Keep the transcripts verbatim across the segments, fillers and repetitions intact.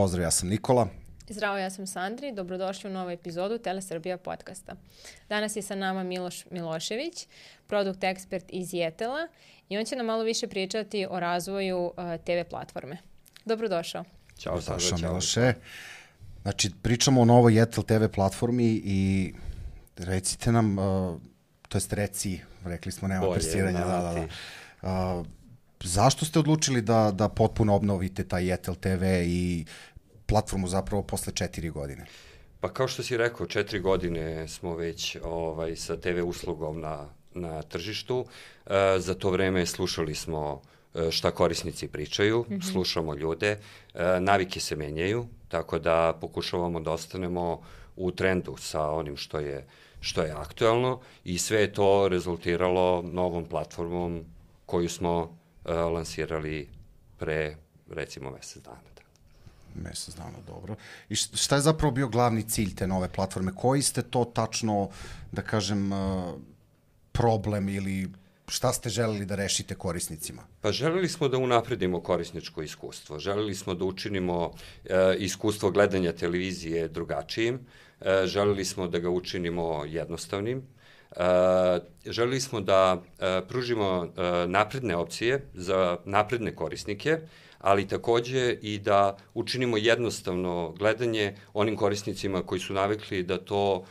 pozdrav, ja sam Nikola. Zdravo, ja sam Sandri. Dobrodošli u novu epizodu Telesrbija podcasta. Danas je sa nama Miloš Milošević, produkt ekspert iz Jetela i on će nam malo više pričati o razvoju uh, te ve platforme. Dobrodošao. Ćao, Saša, Miloše. Znači, pričamo o novoj Jetel te ve platformi i recite nam, uh, to jest reci, rekli smo, nema presiranja. Da, da, da. Uh, zašto ste odlučili da, da potpuno obnovite taj Jetel te ve i platformu zapravo posle četiri godine? Pa kao što si rekao, četiri godine smo već ovaj, sa te ve uslugom na, na tržištu. E, za to vreme slušali smo šta korisnici pričaju, mm-hmm. slušamo ljude, e, navike se menjaju, tako da pokušavamo da ostanemo u trendu sa onim što je, što je aktuelno i sve je to rezultiralo novom platformom koju smo e, lansirali pre, recimo, mesec dana. Mesec dana, dobro. I šta je zapravo bio glavni cilj te nove platforme? Koji ste to tačno, da kažem, problem ili šta ste želeli da rešite korisnicima? Pa želeli smo da unapredimo korisničko iskustvo. Želeli smo da učinimo e, iskustvo gledanja televizije drugačijim. E, želeli smo da ga učinimo jednostavnim. E, želeli smo da e, pružimo e, napredne opcije za napredne korisnike, ali takođe i da učinimo jednostavno gledanje onim korisnicima koji su navikli da to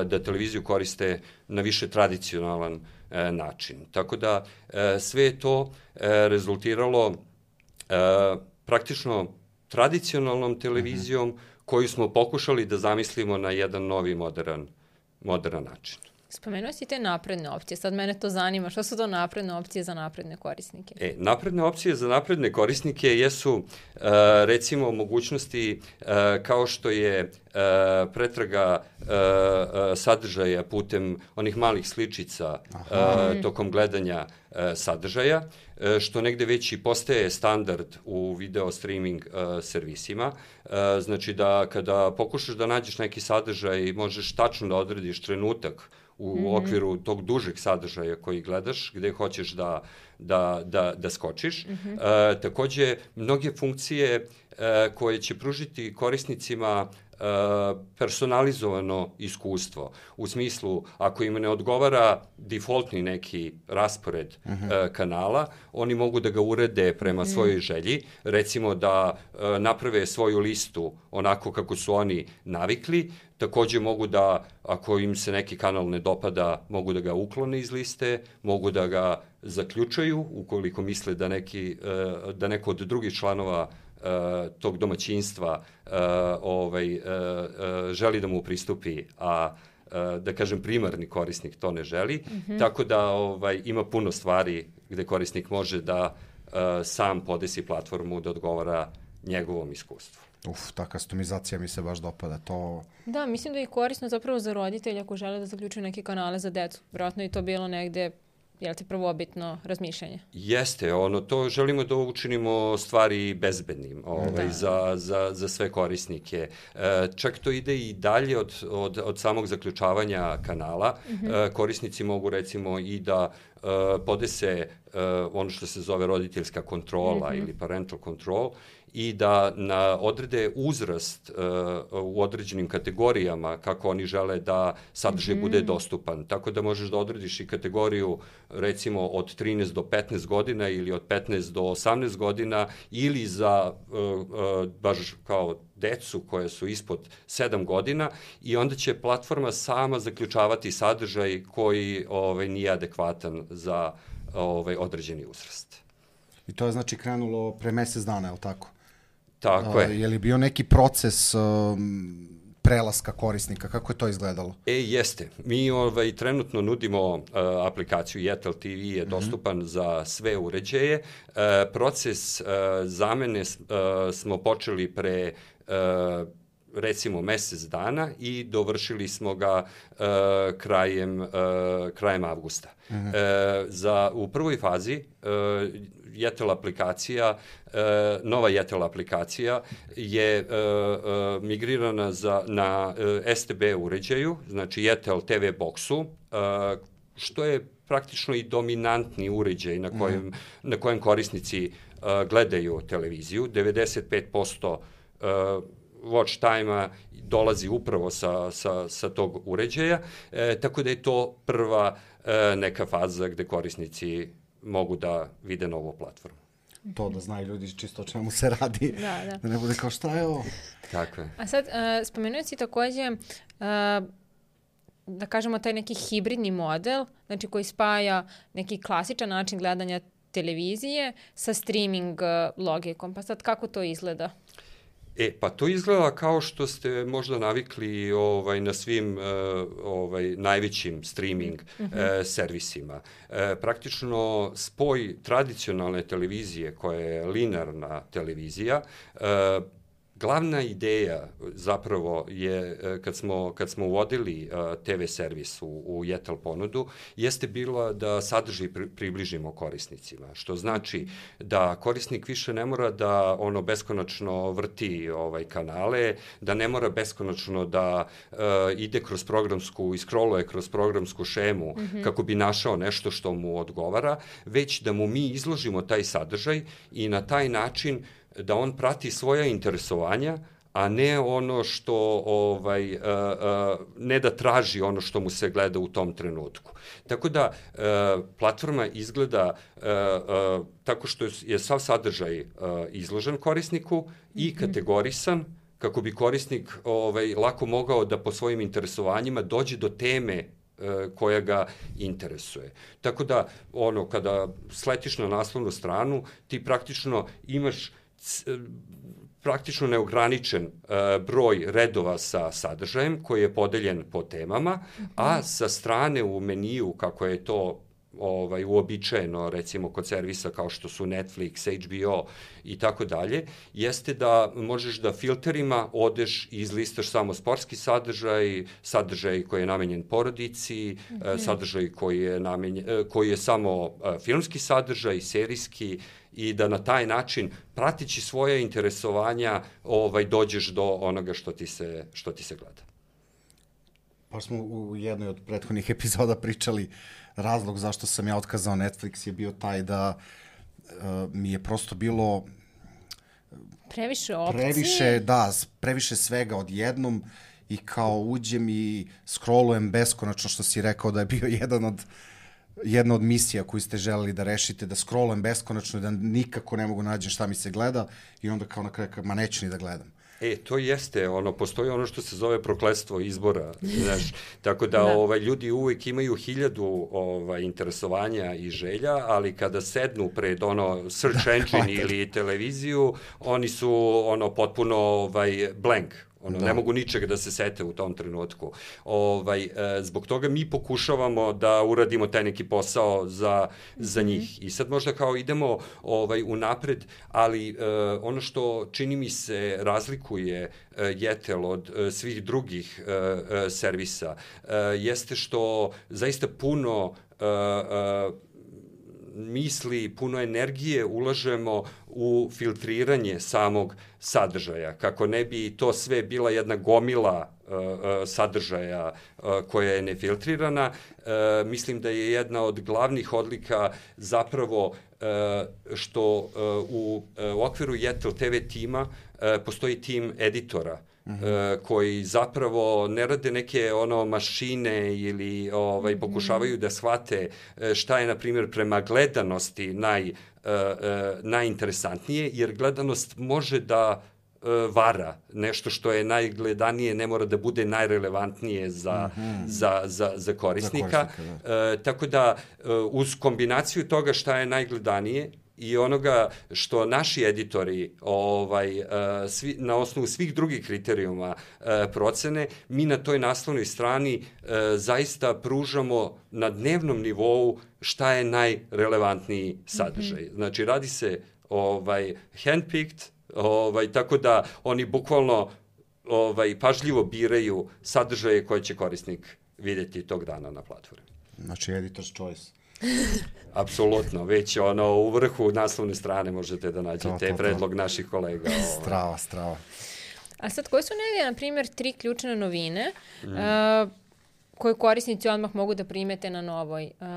da televiziju koriste na više tradicionalan način. Tako da sve je to rezultiralo praktično tradicionalnom televizijom koju smo pokušali da zamislimo na jedan novi modern, modern način. Spomenuo si te napredne opcije, sad mene to zanima, šta su to napredne opcije za napredne korisnike? E, napredne opcije za napredne korisnike jesu uh, recimo mogućnosti uh, kao što je uh, pretraga uh, uh, sadržaja putem onih malih sličica uh, tokom gledanja uh, sadržaja, uh, što negde već i postaje standard u video streaming uh, servisima. Uh, znači da kada pokušaš da nađeš neki sadržaj, možeš tačno da odrediš trenutak u mm-hmm. okviru tog dužeg sadržaja koji gledaš, gde hoćeš da, da, da, da skočiš. Mm-hmm. E, takođe, mnoge funkcije e, koje će pružiti korisnicima e, personalizovano iskustvo. U smislu, ako im ne odgovara defaultni neki raspored mm-hmm. e, kanala, oni mogu da ga urede prema mm-hmm. svojoj želji. Recimo da e, naprave svoju listu onako kako su oni navikli. Takođe mogu da, ako im se neki kanal ne dopada, mogu da ga uklone iz liste, mogu da ga zaključaju ukoliko misle da, neki, da neko od drugih članova tog domaćinstva ovaj, želi da mu pristupi, a da kažem primarni korisnik to ne želi. Mm-hmm. Tako da ovaj, ima puno stvari gde korisnik može da sam podesi platformu da odgovara njegovom iskustvu. Uf, ta customizacija mi se baš dopada, to... Da, mislim da je korisno zapravo za roditelja ako žele da zaključuju neke kanale za decu. Vjerojatno je to bilo negde, jel ti, prvobitno razmišljanje? Jeste, ono, to želimo da učinimo stvari bezbednim ovaj, da. za, za, za sve korisnike. E, čak to ide i dalje od, od, od samog zaključavanja kanala. Mm-hmm. E, korisnici mogu recimo i da e, podese e, ono što se zove roditeljska kontrola mm-hmm. ili parental control, i da na odrede uzrast uh, u određenim kategorijama kako oni žele da sadržaj mm-hmm. bude dostupan. Tako da možeš da odrediš i kategoriju recimo od trinaest do petnaest godina ili od petnaest do osamnaest godina ili za uh, uh, baš kao decu koje su ispod sedam godina i onda će platforma sama zaključavati sadržaj koji ovaj, nije adekvatan za ovaj, određeni uzrast. I to je znači krenulo pre mesec dana, je li tako? Tako je. Je li bio neki proces um, prelaska korisnika? Kako je to izgledalo? E, jeste. Mi ovaj, trenutno nudimo uh, aplikaciju Jetel te ve je dostupan mm-hmm. za sve uređaje. Uh, proces uh, zamene uh, smo počeli pre uh, recimo mesec dana i dovršili smo ga uh, krajem, uh, krajem avgusta. Mm-hmm. Uh, za, u prvoj fazi uh, Jetel aplikacija, uh, nova Jetel aplikacija je uh, uh, migrirana za, na uh, es te be uređaju, znači Jetel te ve boxu, uh, što je praktično i dominantni uređaj na kojem, mm. na kojem korisnici uh, gledaju televiziju. devedeset pet posto uh, watch time-a dolazi upravo sa, sa, sa tog uređaja, e, tako da je to prva e, neka faza gde korisnici mogu da vide novu platformu. To da znaju ljudi čisto o čemu se radi, da, da. da ne bude kao šta je ovo. Tako je. A sad, uh, spomenuo si takođe, uh, da kažemo, taj neki hibridni model, znači koji spaja neki klasičan način gledanja televizije sa streaming uh, logikom. Pa sad, kako to izgleda? E, pa to izgleda kao što ste možda navikli ovaj, na svim uh, ovaj, najvećim streaming mm -hmm. uh, servisima. Uh, praktično spoj tradicionalne televizije koja je linearna televizija, uh, glavna ideja zapravo je, kad smo, kad smo uvodili uh, te ve servis u, u Jetel ponudu, jeste bila da sadržaj pri, približimo korisnicima, što znači da korisnik više ne mora da ono beskonačno vrti ovaj kanale, da ne mora beskonačno da uh, ide kroz programsku i scrolluje kroz programsku šemu mm -hmm. kako bi našao nešto što mu odgovara, već da mu mi izložimo taj sadržaj i na taj način da on prati svoja interesovanja, a ne ono što, ovaj, uh, uh, ne da traži ono što mu se gleda u tom trenutku. Tako da, uh, platforma izgleda uh, uh, tako što je sav sadržaj uh, izložen korisniku i kategorisan, kako bi korisnik ovaj, lako mogao da po svojim interesovanjima dođe do teme koja ga interesuje. Tako da, ono, kada sletiš na naslovnu stranu, ti praktično imaš praktično neograničen uh, broj redova sa sadržajem koji je podeljen po temama, mm -hmm. a sa strane u meniju, kako je to ovaj uobičajeno recimo kod servisa kao što su Netflix, H B O i tako dalje, jeste da možeš da filterima odeš i izlistaš samo sportski sadržaj, sadržaj koji je namenjen porodici, mm -hmm. sadržaj koji je namenjen, koji je samo filmski sadržaj, serijski, i da na taj način, pratići svoje interesovanja, ovaj dođeš do onoga što ti se što ti se gleda. Pa smo u jednoj od prethodnih epizoda pričali, razlog zašto sam ja otkazao Netflix je bio taj da uh, mi je prosto bilo previše opcije. Previše, da, previše svega odjednom i kao uđem i scrollujem beskonačno, što si rekao da je bio jedan od jedna od misija koju ste želeli da rešite, da scrollujem beskonačno i da nikako ne mogu nađem šta mi se gleda i onda kao na kraju, ma neću ni da gledam. E, to jeste, ono, postoji ono što se zove prokletstvo izbora, znaš, tako da, da. Ovaj, ljudi uvek imaju hiljadu ovaj, interesovanja i želja, ali kada sednu pred ono search engine ili televiziju, oni su ono potpuno ovaj, blank. Ono, da. Ne mogu ničega da se sete u tom trenutku. Ovaj, e, zbog toga mi pokušavamo da uradimo taj neki posao za, mm-hmm. za njih. I sad možda kao idemo ovaj, unapred, ali e, ono što čini mi se razlikuje e, Jetel od e, svih drugih e, e, servisa, e, jeste što zaista puno e, e, misli, puno energije ulažemo u filtriranje samog sadržaja, kako ne bi to sve bila jedna gomila uh, uh, sadržaja uh, koja je nefiltrirana. Uh, mislim da je jedna od glavnih odlika zapravo uh, što uh, u, uh, u okviru Jetel te ve tima uh, postoji tim editora, Uh, koji zapravo ne rade neke ono mašine ili ovaj pokušavaju da shvate šta je na primjer prema gledanosti naj uh, uh, najinteresantnije, jer gledanost može da uh, vara. Nešto što je najgledanije ne mora da bude najrelevantnije za, mm-hmm. za, za, za korisnika. Za korisnika, da. Uh, tako da uh, uz kombinaciju toga šta je najgledanije i onoga što naši editori ovaj, uh, svi, na osnovu svih drugih kriterijuma uh, procene, mi na toj naslovnoj strani uh, zaista pružamo na dnevnom nivou šta je najrelevantniji sadržaj. Mm-hmm. Znači, radi se ovaj, handpicked, ovaj, tako da oni bukvalno ovaj, pažljivo biraju sadržaje koje će korisnik vidjeti tog dana na platformi. Znači, editor's choice. Apsolutno, već ono u vrhu naslovne strane možete da nađete to, to, to. predlog naših kolega. Ovaj. Strava, strava. A sad, koje su neke, na primjer, tri ključne novine mm. uh, koje korisnici odmah mogu da primete na novoj uh,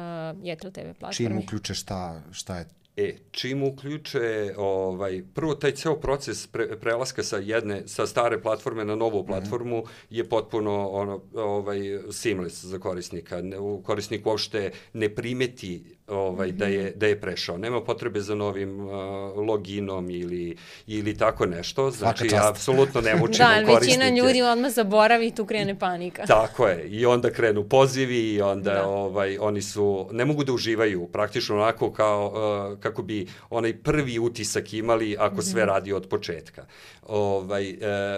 Jetel te ve platformi? Čim uključe šta, šta je E, čim uključe, ovaj, prvo taj ceo proces pre, prelaska sa jedne, sa stare platforme na novu platformu mm. je potpuno ono, ovaj, seamless za korisnika. Ne, korisnik uopšte ne primeti ovaj, mm-hmm. da, je, da je prešao. Nema potrebe za novim uh, loginom ili, ili tako nešto. Znači, ja apsolutno ne mučim da, korisnike. Da, većina ljudi odmah zaboravi i tu krene panika. Tako je. I onda krenu pozivi i onda da. ovaj, oni su, ne mogu da uživaju praktično onako kao, uh, kako bi onaj prvi utisak imali ako mm-hmm. sve radi od početka. Ovaj, uh,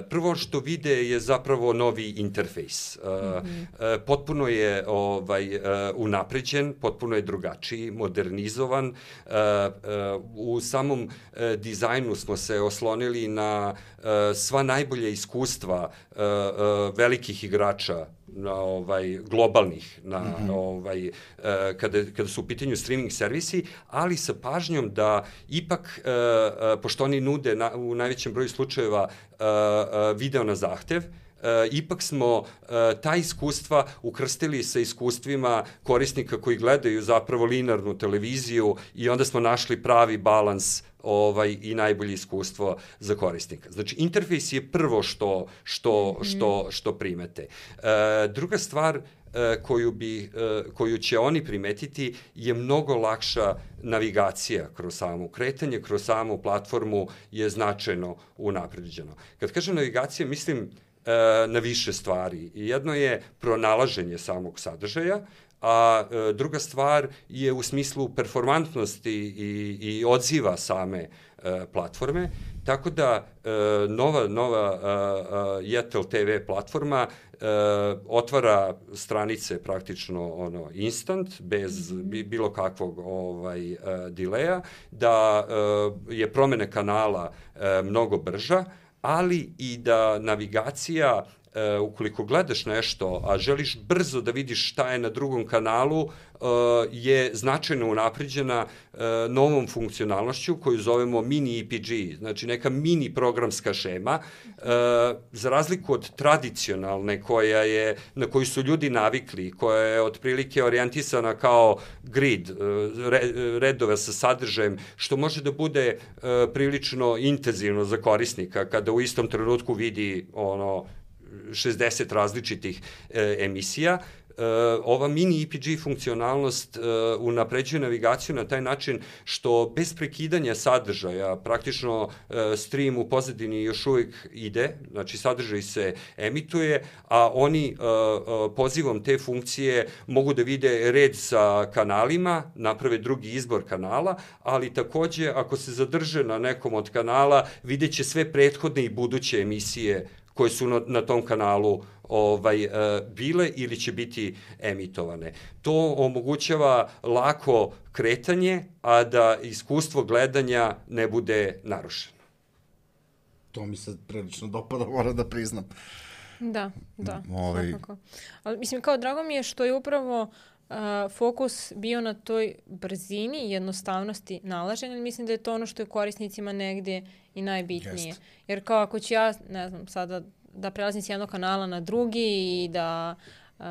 prvo što vide je zapravo novi interfejs. Uh, mm-hmm. uh, potpuno je ovaj, uh, unapređen, potpuno je drugačiji, modernizovan. Uh, uh, u samom uh, dizajnu smo se oslonili na uh, sva najbolja iskustva uh, uh, velikih igrača na ovaj globalnih na mm-hmm. ovaj uh, kada kada su u pitanju streaming servisi, ali sa pažnjom da ipak uh, uh, pošto oni nude na, u najvećem broju slučajeva uh, uh, video na zahtev, Uh, ipak smo uh, ta iskustva ukrstili sa iskustvima korisnika koji gledaju zapravo linearnu televiziju i onda smo našli pravi balans ovaj i najbolje iskustvo za korisnika. Znači interfejs je prvo što što mm. što što primete. Uh, druga stvar koju bi koju će oni primetiti je mnogo lakša navigacija kroz samu kretanje, kroz samu platformu je značajno unapređeno. Kad kažem navigacija, mislim na više stvari. Jedno je pronalaženje samog sadržaja, a druga stvar je u smislu performantnosti i, i odziva same platforme. Tako da nova, nova Yetel te ve platforma otvara stranice praktično ono instant, bez bilo kakvog ovaj, dileja, da je promene kanala mnogo brža, ali i da navigacija, uh, ukoliko gledaš nešto, a želiš brzo da vidiš šta je na drugom kanalu, uh, je značajno unapređena uh, novom funkcionalnošću koju zovemo mini E P G, znači neka mini programska šema, uh, za razliku od tradicionalne koja je, na koju su ljudi navikli, koja je otprilike orijentisana kao grid, uh, re, redove sa sadržajem, što može da bude uh, prilično intenzivno za korisnika kada u istom trenutku vidi ono šezdeset različitih e, emisija. E, ova mini E P G funkcionalnost e, unapređuje navigaciju na taj način što bez prekidanja sadržaja praktično e, stream u pozadini još uvijek ide, znači sadržaj se emituje, a oni e, e, pozivom te funkcije mogu da vide red sa kanalima, naprave drugi izbor kanala, ali takođe ako se zadrže na nekom od kanala, vidjet će sve prethodne i buduće emisije koje su na, na tom kanalu ovaj, uh, bile ili će biti emitovane. To omogućava lako kretanje, a da iskustvo gledanja ne bude narušeno. To mi se prilično dopada, moram da priznam. Da, da, ovaj... svakako. Ali mislim, kao drago mi je što je upravo Uh, fokus bio na toj brzini i jednostavnosti nalaženja. Mislim da je to ono što je korisnicima negde i najbitnije. Jest. Jer kao ako ću ja, ne znam, sada da prelazim s jednog kanala na drugi i da uh,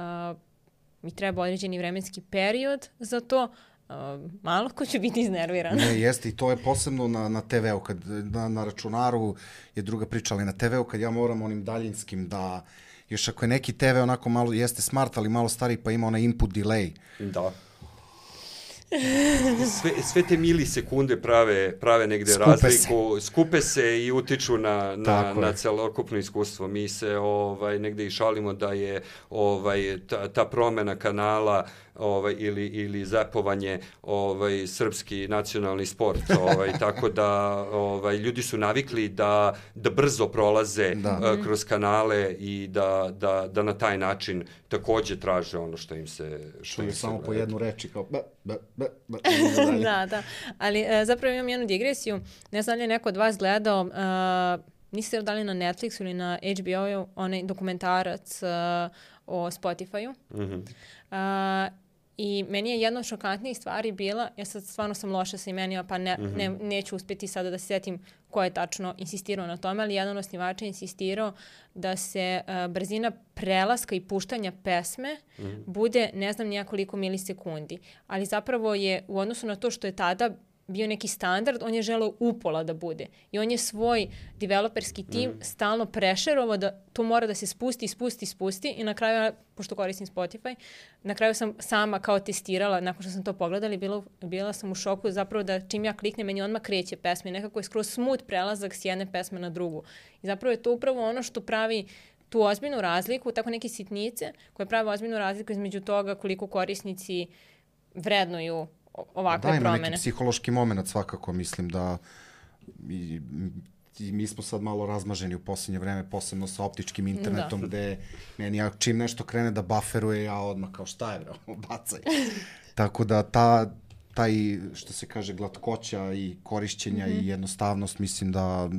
mi treba određeni vremenski period za to, uh, malo ko će biti iznerviran. Ne, jeste i to je posebno na, na te veu, kad na, na računaru je druga priča, ali na te veu kad ja moram onim daljinskim da još ako je neki te ve onako malo, jeste smart, ali malo stariji, pa ima onaj input delay. Da. Sve, sve te milisekunde prave, prave negde skupe razliku, se. skupe se i utiču na, na, na celokupno iskustvo. Mi se ovaj, negde i šalimo da je ovaj, ta, ta promena kanala ovaj, ili, ili zapovanje ovaj, srpski nacionalni sport. Ovaj, tako da ovaj, ljudi su navikli da, da brzo prolaze da. Uh, kroz kanale i da, da, da na taj način takođe traže ono što im se... Što je samo po jednu reči kao... Ba, ba, ba, ba, da, da. Ali uh, zapravo imam jednu digresiju. Ne znam li je neko od vas gledao... Uh, niste dali na Netflixu ili na H B O-u onaj dokumentarac uh, o Spotify-u. Mm-hmm. Uh, I meni je jedna od šokantnijih stvari bila, ja sad stvarno sam loša sa imenima, pa ne, mm-hmm. ne, neću uspjeti sada da se sjetim ko je tačno insistirao na tome, ali jedan od osnivača je insistirao da se uh, brzina prelaska i puštanja pesme mm-hmm. bude ne znam nijakoliko milisekundi. Ali zapravo je u odnosu na to što je tada bio neki standard, on je želeo upola da bude. I on je svoj developerski tim mm. stalno prešerovao da to mora da se spusti, spusti, spusti i na kraju, pošto koristim Spotify, na kraju sam sama kao testirala, nakon što sam to pogledala, bila, bila sam u šoku zapravo da čim ja kliknem, meni odmah kreće pesme. Nekako je skroz smooth prelazak s jedne pesme na drugu. I zapravo je to upravo ono što pravi tu ozbiljnu razliku, tako neke sitnice koje prave ozbiljnu razliku između toga koliko korisnici vrednuju ovakve da, ima promene. neki psihološki moment svakako, mislim da i, i mi smo sad malo razmaženi u posljednje vreme, posebno sa optičkim internetom, da. Gde meni ja čim nešto krene da bufferuje, ja odmah kao šta je bro, bacaj. Tako da ta, taj, što se kaže, glatkoća i korišćenja mm-hmm. i jednostavnost, mislim da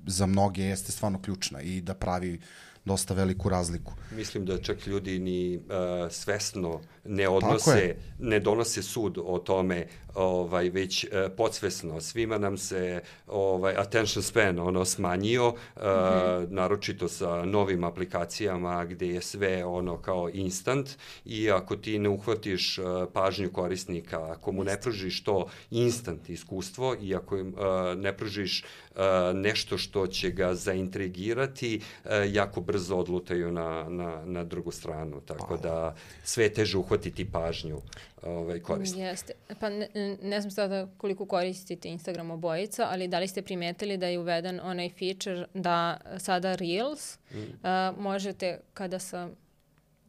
za mnoge jeste stvarno ključna i da pravi dosta veliku razliku. Mislim da čak ljudi ni uh, svesno ne odnose, ne donose sud o tome, ovaj, već uh, podsvesno. Svima nam se ovaj, attention span ono smanjio, uh, mm-hmm. naročito sa novim aplikacijama gde je sve ono kao instant i ako ti ne uhvatiš uh, pažnju korisnika, ako mu ne pružiš to instant iskustvo i ako im uh, ne pružiš uh, nešto što će ga zaintrigirati, uh, jako brzo odlutaju na, na, na drugu stranu. Tako da sve je teže uhvatiti pažnju ovaj, korisnika. Jeste. Pa ne, ne znam sada koliko koristite Instagram obojica, ali da li ste primetili da je uveden onaj feature da sada Reels mm. uh, možete kada sa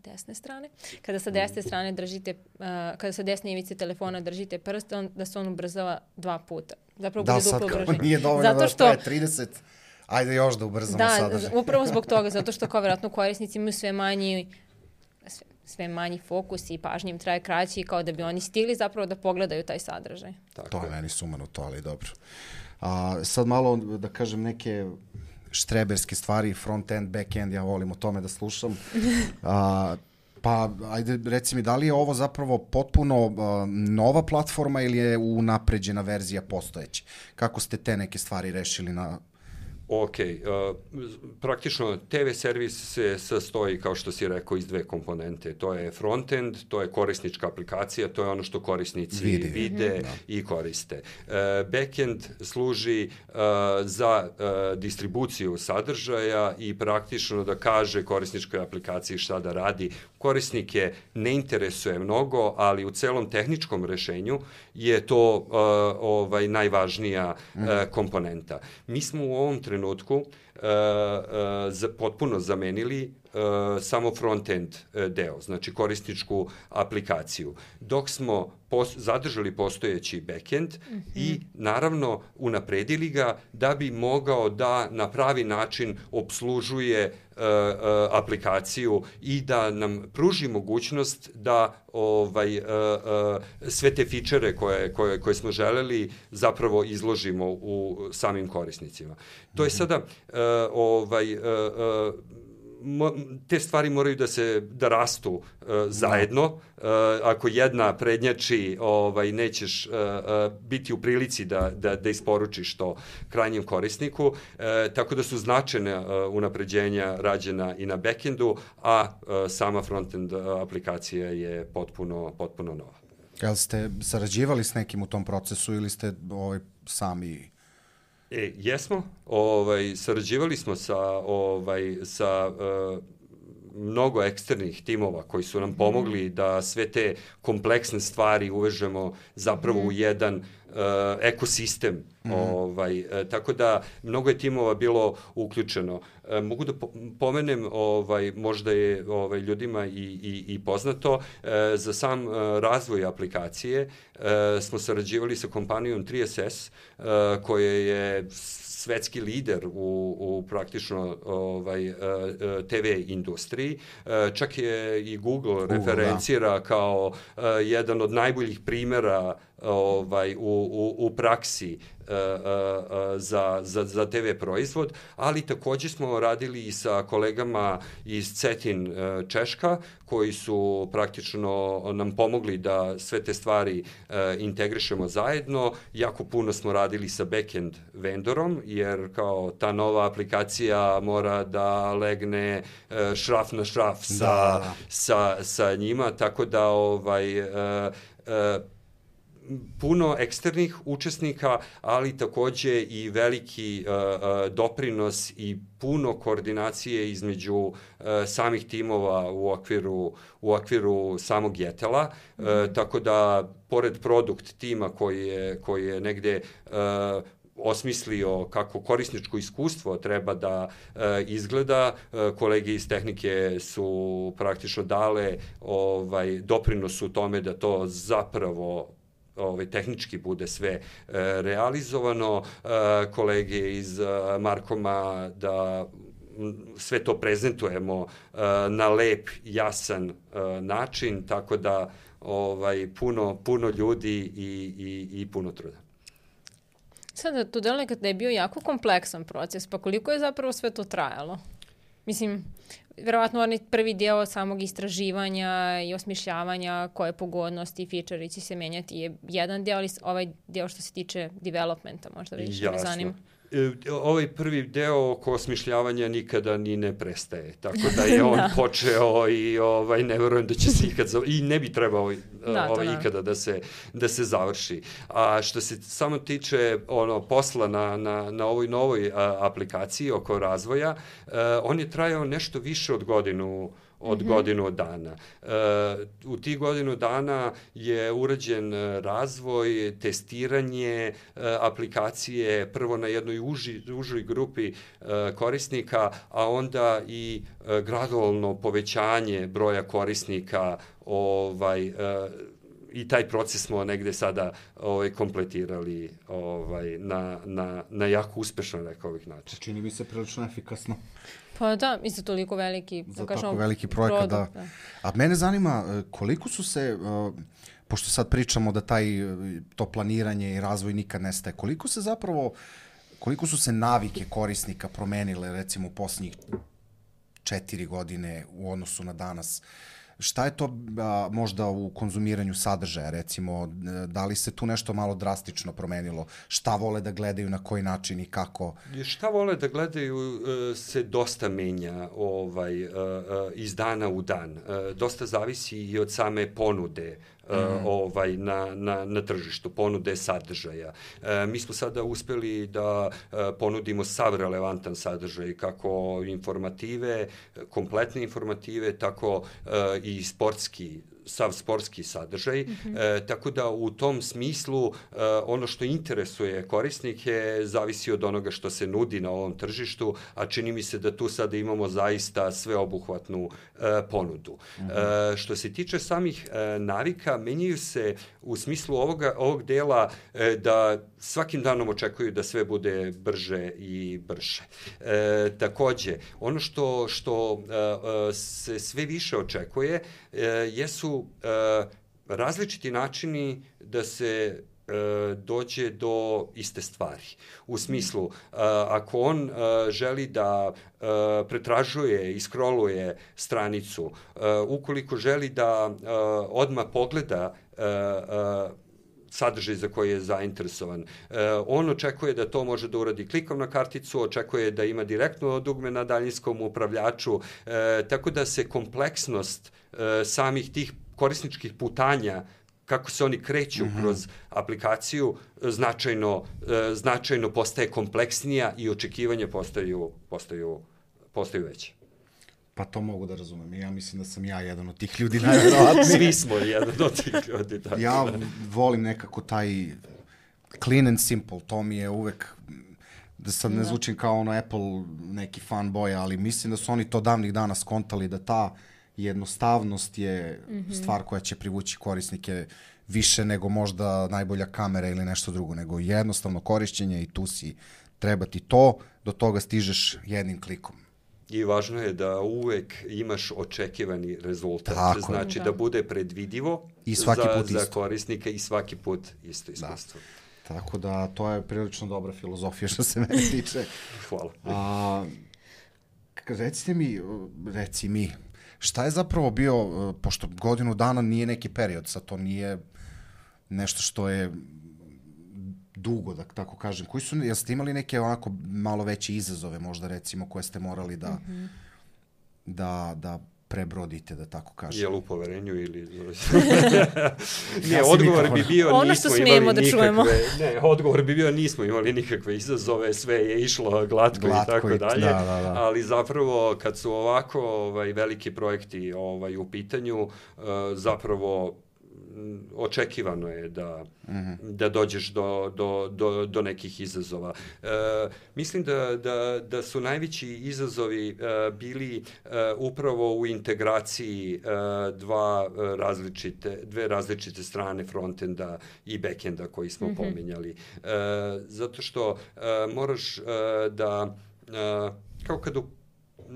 desne strane, kada sa desne strane držite, uh, kada sa desne ivice telefona držite prst, on, da se on ubrzava dva puta. Zapravo da, bude sad duplo kao nije dovoljno zato što, da traje trideset, ajde još da ubrzamo da, sadržaj. Da, upravo zbog toga, zato što kao vjerojatno korisnici imaju sve manji sve, sve manji fokus i pažnje im traje kraći kao da bi oni stigli zapravo da pogledaju taj sadržaj. Tako to je meni sumanuto, ali dobro. A, sad malo da kažem neke štreberske stvari, front-end, back-end, ja volim o tome da slušam. A, pa, ajde, reci mi, da li je ovo zapravo potpuno uh, nova platforma ili je unapređena verzija postojeće? Kako ste te neke stvari rešili na... Ok, uh, praktično te ve servis se sastoji, kao što si rekao, iz dve komponente. To je frontend, to je korisnička aplikacija, to je ono što korisnici vide, vide mm-hmm. i koriste. Uh, backend služi uh, za uh, distribuciju sadržaja i praktično da kaže korisničkoj aplikaciji šta da radi. Korisnike ne interesuje mnogo, ali u celom tehničkom rešenju je to uh, ovaj najvažnija uh, komponenta. Mi smo u ovom trenutku trenutku uh, uh, za, potpuno zamenili uh, samo front-end uh, deo, znači korisničku aplikaciju. Dok smo pos, zadržali postojeći back-end mm-hmm. i naravno unapredili ga da bi mogao da na pravi način obslužuje uh, uh, aplikaciju i da nam pruži mogućnost da ovaj uh, uh, sve te fičere koje, koje, koje smo želeli zapravo izložimo u samim korisnicima. To je sada uh, ovaj uh, uh, Mo, te stvari moraju da se da rastu uh, zajedno. Uh, ako jedna prednjači, ovaj nećeš uh, uh, biti u prilici da da da isporučiš to krajnjem korisniku. Uh, tako da su značajne uh, unapređenja rađena i na backendu, a uh, sama frontend aplikacija je potpuno potpuno nova. Jel ste sarađivali s nekim u tom procesu ili ste ovaj sami? E, jesmo, ovaj, sarađivali smo sa, ovaj, sa uh, mnogo eksternih timova koji su nam pomogli da sve te kompleksne stvari uvežemo zapravo mm. u jedan uh, ekosistem. Mm. Ovaj, uh, tako da mnogo je timova bilo uključeno. Uh, mogu da po pomenem, ovaj, možda je ovaj, ljudima i, i, i poznato, uh, za sam uh, razvoj aplikacije uh, smo sarađivali sa kompanijom tri es es uh, koja je svetski lider u, u praktično ovaj, te ve industriji. Čak je i Google, Google referencira da. kao uh, jedan od najboljih primera ovaj, u, u, u praksi uh, uh, za, za, za te ve proizvod, ali takođe smo radili i sa kolegama iz Cetin uh, Češka, koji su praktično nam pomogli da sve te stvari uh, integrišemo zajedno. Jako puno smo radili sa backend vendorom, jer kao ta nova aplikacija mora da legne uh, šraf na šraf sa, da. sa, sa njima, tako da ovaj, uh, uh, puno eksternih učesnika, ali takođe i veliki uh, uh, doprinos i puno koordinacije između uh, samih timova u okviru, u okviru samog Jetela, mm -hmm. uh, tako da pored produkt tima koji je, koji je negde uh, osmislio kako korisničko iskustvo treba da e, izgleda. E, kolege iz tehnike su praktično dale ovaj, doprinos u tome da to zapravo ovaj, tehnički bude sve e, realizovano. E, kolege iz e, Markoma da sve to prezentujemo e, na lep, jasan e, način, tako da ovaj, puno, puno ljudi i, i, i puno truda. Sada, to deluje da je bio jako kompleksan proces, pa koliko je zapravo sve to trajalo? Mislim, verovatno onaj prvi deo samog istraživanja i osmišljavanja koje pogodnosti i feature će se menjati je jedan deo, ali ovaj deo što se tiče developmenta možda više me zanima. Ovaj prvi deo oko osmišljavanja nikada ni ne prestaje, tako da je on da. počeo i ovaj, ne verujem da će se ikad, i ne bi trebao da, ovaj, da. ikada da se, da se završi. A što se samo tiče ono, posla na, na, na ovoj novoj a, aplikaciji oko razvoja, a, on je trajao nešto više od godinu od mm-hmm. godinu dana. E, u tih godinu dana je urađen razvoj, testiranje e, aplikacije prvo na jednoj uži, užoj grupi e, korisnika, a onda i e, gradualno povećanje broja korisnika ovaj, e, i taj proces smo negde sada ovaj, kompletirali ovaj, na, na, na jako uspešan, rekao bih, način. Čini mi se prilično efikasno. Pa da, i za toliko veliki, za da tako veliki projekat, da. da. A mene zanima koliko su se, uh, pošto sad pričamo da taj, to planiranje i razvoj nikad nestaje, koliko se zapravo, koliko su se navike korisnika promenile recimo u posljednjih četiri godine u odnosu na danas? Šta je to a, možda u konzumiranju sadržaja, recimo, da li se tu nešto malo drastično promenilo? Šta vole da gledaju, na koji način i kako? Šta vole da gledaju se dosta menja ovaj, iz dana u dan. Dosta zavisi i od same ponude Uh, ovaj, na, na, na tržištu, ponude sadržaja. Uh, mi smo sada uspeli da uh, ponudimo sav relevantan sadržaj, kako informative, kompletne informative, tako uh, i sportski sav sportski sadržaj, mm-hmm. e, tako da u tom smislu e, ono što interesuje korisnike zavisi od onoga što se nudi na ovom tržištu, a čini mi se da tu sada imamo zaista sveobuhvatnu e, ponudu. Mm-hmm. E, što se tiče samih e, navika, menjaju se u smislu ovoga, ovog dela e, da svakim danom očekuju da sve bude brže i brže. E, takođe, ono što, što e, se sve više očekuje e, jesu e, različiti načini da se e, dođe do iste stvari. U smislu, e, ako on e, želi da e, pretražuje i scrolluje stranicu, e, ukoliko želi da e, odmah pogleda e, e, sadržaj za koji je zainteresovan. E, on očekuje da to može da uradi klikom na karticu, očekuje da ima direktno dugme na daljinskom upravljaču, e, tako da se kompleksnost e, samih tih korisničkih putanja, kako se oni kreću mm-hmm. kroz aplikaciju, značajno, e, značajno postaje kompleksnija i očekivanja postaju, postaju, postaju veće. Pa to mogu da razumem. Ja mislim da sam ja jedan od tih ljudi najverovatniji. Svi smo jedan od tih ljudi. Tako ja da. volim nekako taj clean and simple. To mi je uvek, da sad ne zvučim kao ono Apple neki fanboy, ali mislim da su oni to davnih dana skontali da ta jednostavnost je mm-hmm. stvar koja će privući korisnike više nego možda najbolja kamera ili nešto drugo, nego jednostavno korišćenje i tu si, treba ti to, do toga stižeš jednim klikom. I važno je da uvek imaš očekivani rezultat. Tako. Znači da. da bude predvidivo I svaki za, put za isto. korisnika i svaki put isto iskustvo. Da. Tako da to je prilično dobra filozofija što se mene tiče. Hvala. A, recite mi, reci mi, šta je zapravo bio, pošto godinu dana nije neki period, sad to nije nešto što je dugo, da tako kažem. Koji su, jeste imali neke onako malo veće izazove možda recimo koje ste morali da, mm-hmm. da, da prebrodite, da tako kažem. Jel u poverenju ili... ne, odgovor bi bio ono nismo imali da nikakve... Ne, odgovor bi bio nismo imali nikakve izazove, sve je išlo glatko, glatko i tako i, dalje, da, da, da. Ali zapravo kad su ovako ovaj, veliki projekti ovaj, u pitanju, uh, zapravo očekivano je da, mm-hmm. da dođeš do, do, do, do nekih izazova. E, mislim da, da, da su najveći izazovi e, bili e, upravo u integraciji e, dva različite, dve različite strane frontenda i backenda koji smo mm-hmm. pominjali. E, zato što e, moraš e, da, e, kao kad u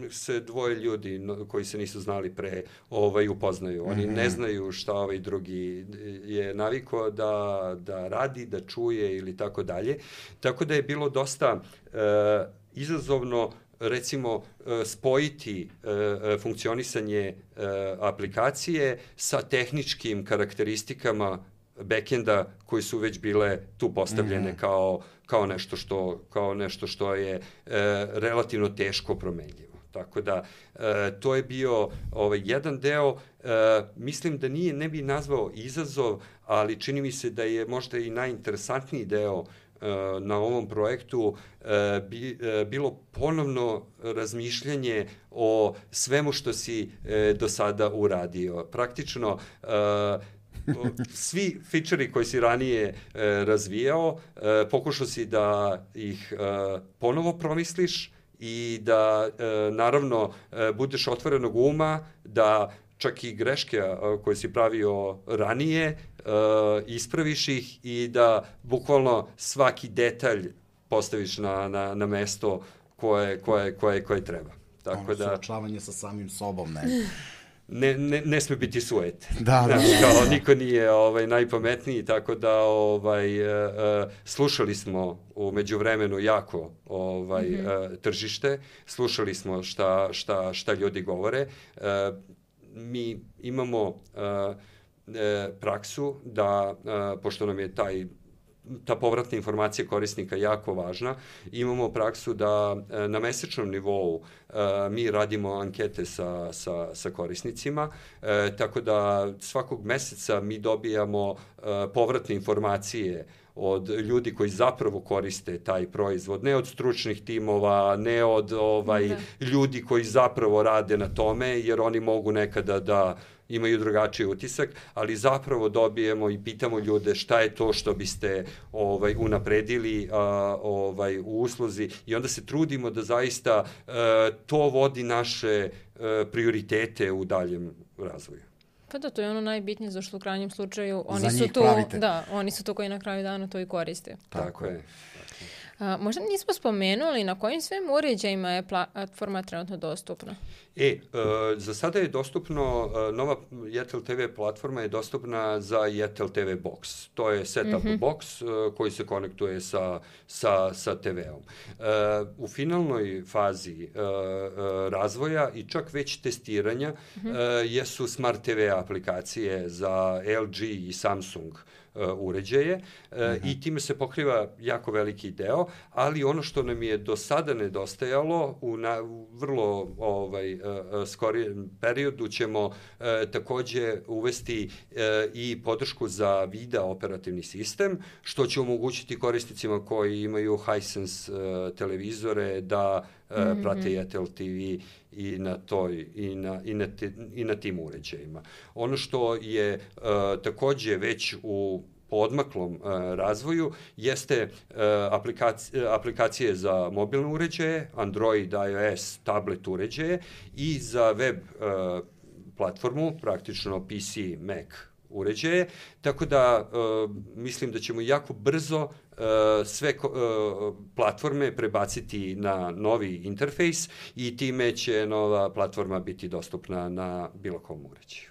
se dvoje ljudi koji se nisu znali pre ovaj upoznaju. Oni mm-hmm. ne znaju šta ovaj drugi je navikao da, da radi, da čuje ili tako dalje. Tako da je bilo dosta e, izazovno recimo spojiti e, funkcionisanje e, aplikacije sa tehničkim karakteristikama backenda koji su već bile tu postavljene mm-hmm. kao, kao, nešto što, kao nešto što je e, relativno teško promenljivo. Tako da, e, to je bio ovaj, jedan deo, e, mislim da nije, ne bi nazvao izazov, ali čini mi se da je možda i najinteresantniji deo e, na ovom projektu e, bi, e, bilo ponovno razmišljanje o svemu što si e, do sada uradio. Praktično, e, svi fičeri koji si ranije e, razvijao, e, pokušao si da ih e, ponovo promisliš, i da, e, naravno, e, budeš otvorenog uma, da čak i greške a, koje si pravio ranije, e, ispraviš ih i da bukvalno svaki detalj postaviš na, na, na mesto koje, koje, koje, koje treba. Tako ono, da, suočavanje sa samim sobom, ne... Ne, ne, ne sme biti suete. Da, da. Znači, kao, niko nije ovaj, najpametniji, tako da ovaj, uh, slušali smo u međuvremenu jako ovaj, mm-hmm. uh, tržište, slušali smo šta, šta, šta ljudi govore. Uh, mi imamo uh, uh, praksu da, uh, pošto nam je taj ta povratna informacija korisnika jako važna. Imamo praksu da na mesečnom nivou uh, mi radimo ankete sa, sa, sa korisnicima, uh, tako da svakog meseca mi dobijamo uh, povratne informacije od ljudi koji zapravo koriste taj proizvod, ne od stručnih timova, ne od ovaj, da. ljudi koji zapravo rade na tome, jer oni mogu nekada da imaju drugačiji utisak, ali zapravo dobijemo i pitamo ljude šta je to što biste ovaj, unapredili a, ovaj, u usluzi i onda se trudimo da zaista a, to vodi naše a, prioritete u daljem razvoju. Pa da, to je ono najbitnije, zašto u krajnjem slučaju oni Za su njih tu, pravite. Da, oni su to koji na kraju dana to i koriste. Tako, Tako je. A, možda nismo spomenuli na kojim svim uređajima je platforma trenutno dostupna? E, e, za sada je dostupno, nova Jetel te ve platforma je dostupna za Jetel te ve Box. To je setup mm-hmm. box koji se konektuje sa, sa, sa te veom. E, u finalnoj fazi e, razvoja i čak već testiranja mm-hmm. e, jesu Smart te ve aplikacije za el ge i Samsung uređaje uh, mm-hmm. i time se pokriva jako veliki deo, ali ono što nam je do sada nedostajalo u, na, u vrlo ovaj, uh, skorijem periodu ćemo uh, takođe uvesti uh, i podršku za video operativni sistem, što će omogućiti korisnicima koji imaju Hisense uh, televizore da uh, mm-hmm. prate Jetel te ve i na toj i na i na, te, i na tim uređajima. Ono što je uh, takođe već u odmaklom uh, razvoju jeste uh, aplikacije, aplikacije za mobilne uređaje, Android, iOS, tablet uređaje i za web uh, platformu, praktično pe ce, Mac uređaje, tako da uh, mislim da ćemo jako brzo uh, sve uh, platforme prebaciti na novi interfejs i time će nova platforma biti dostupna na bilo kom uređaju.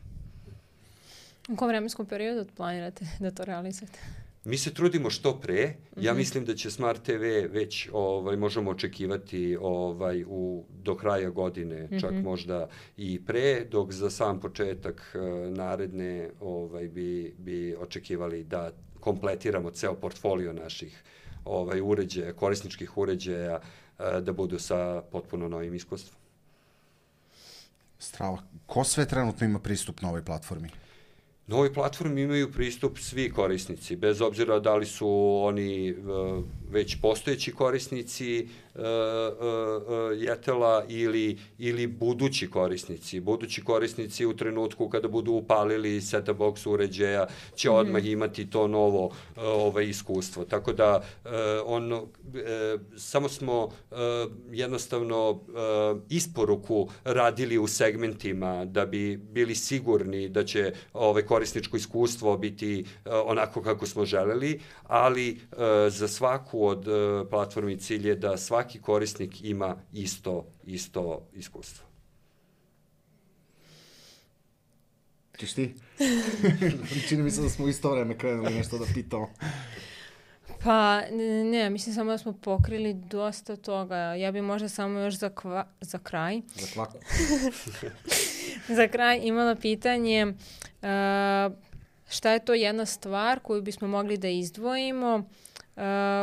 U kom vremenskom periodu planirate da to realizujete? Mi se trudimo što pre. Mm-hmm. Ja mislim da će Smart te ve već ovaj, možemo očekivati ovaj, u, do kraja godine, mm-hmm. čak možda i pre, dok za sam početak uh, naredne ovaj, bi, bi očekivali da kompletiramo ceo portfolio naših ovaj, uređaja, korisničkih uređaja, uh, da budu sa potpuno novim iskustvom. Strava. Ko sve trenutno ima pristup na ovoj platformi? Na ovoj platformi imaju pristup svi korisnici, bez obzira da li su oni uh, već postojeći korisnici uh, uh, uh, Jetela ili, ili budući korisnici. Budući korisnici u trenutku kada budu upalili set-top box uređaja će mm-hmm. odmah imati to novo uh, ovaj, iskustvo. Tako da uh, on, uh, samo smo uh, jednostavno uh, isporuku radili u segmentima da bi bili sigurni da će ovaj, korisničko iskustvo biti uh, onako kako smo želeli, ali uh, za svaku od uh, platformi cilj je da svaki korisnik ima isto, isto iskustvo. Češ ti? Čini mi se da smo u isto vreme krenuli nešto da pitamo. Pa ne, mislim samo da smo pokrili dosta toga. Ja bi možda samo još za, kva, za kraj. Za kvaku. Za kraj imala pitanje uh, šta je to jedna stvar koju bismo mogli da izdvojimo, uh,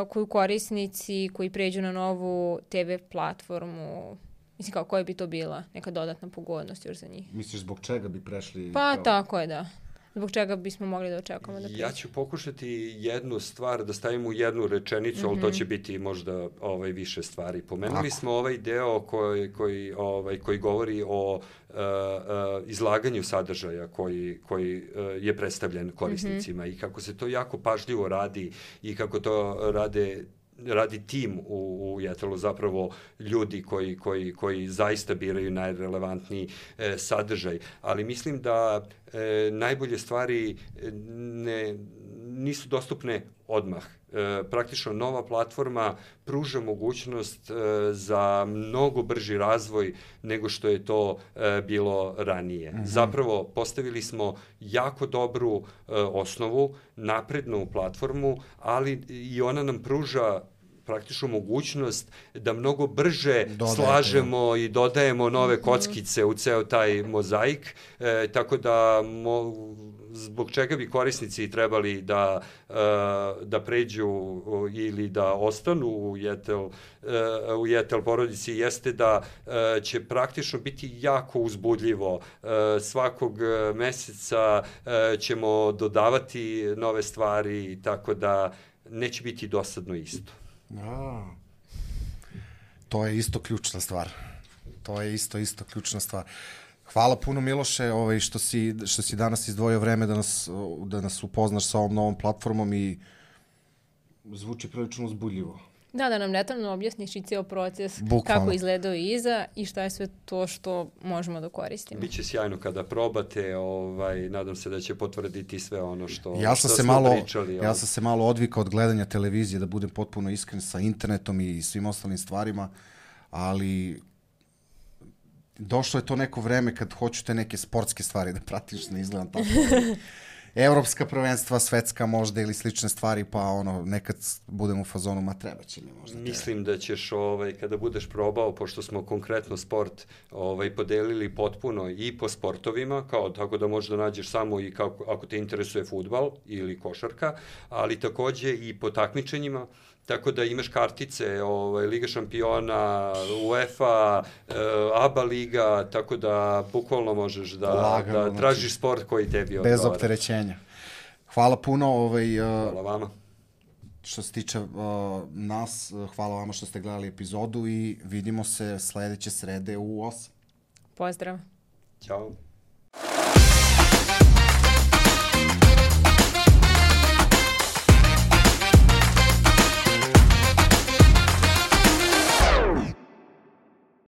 koju korisnici koji pređu na novu te ve platformu, mislim kao koja bi to bila neka dodatna pogodnost još za njih? Misliš zbog čega bi prešli? Pa kao... tako je, da. Zbog čega bismo mogli da očekamo da pređu? Ja ću pokušati jednu stvar da stavim u jednu rečenicu, mm-hmm. ali to će biti možda ovaj, više stvari. Pomenuli smo ovaj deo koji, koji, ovaj, koji govori o uh, uh, izlaganju sadržaja koji, koji uh, je predstavljen korisnicima mm-hmm. i kako se to jako pažljivo radi i kako to rade radi tim u, u Jetelu, zapravo ljudi koji, koji, koji zaista biraju najrelevantniji e, sadržaj. Ali mislim da e, najbolje stvari ne, nisu dostupne odmah. E, praktično nova platforma pruža mogućnost e, za mnogo brži razvoj nego što je to e, bilo ranije. Mm-hmm. Zapravo postavili smo jako dobru e, osnovu, naprednu platformu, ali i ona nam pruža praktično mogućnost da mnogo brže Dodajte. slažemo i dodajemo nove kockice u ceo taj mozaik, e, tako da mo, zbog čega bi korisnici trebali da, e, da pređu ili da ostanu u Jetel, e, u Jetel porodici jeste da e, će praktično biti jako uzbudljivo. E, svakog meseca e, ćemo dodavati nove stvari, tako da neće biti dosadno isto. A, to je isto ključna stvar. To je isto, isto ključna stvar. Hvala puno, Miloše, ovaj, što, si, što si danas izdvojio vreme da nas, da nas upoznaš sa ovom novom platformom i zvuči prilično uzbudljivo. Da, da nam detaljno objasniš i cijel proces, Bukvalno. kako izgledao iza i šta je sve to što možemo da koristimo. Biće sjajno kada probate, ovaj, nadam se da će potvrditi sve ono što, ja sam što se smo malo, pričali. Ja sam se malo odvikao od gledanja televizije, da budem potpuno iskren, sa internetom i svim ostalim stvarima, ali došlo je to neko vreme kad hoću te neke sportske stvari da pratiš, ne izgledam tako. Evropska prvenstva, svetska možda ili slične stvari, pa ono, nekad budem u fazonu, ma treba će mi možda. Mislim da ćeš, ovaj, kada budeš probao, pošto smo konkretno sport ovaj, podelili potpuno i po sportovima, kao tako da možeš da nađeš samo i kako, ako te interesuje fudbal ili košarka, ali takođe i po takmičenjima, tako da imaš kartice, ovaj, Liga šampiona, UEFA, e, A B A liga, tako da bukvalno možeš da, Lagano, da tražiš znači, sport koji tebi odgovara. Bez opterećenja. Hvala puno. Ovaj, uh, hvala vama. Što se tiče uh, nas, uh, hvala vama što ste gledali epizodu i vidimo se sledeće srede u osam. Pozdrav. Ćao.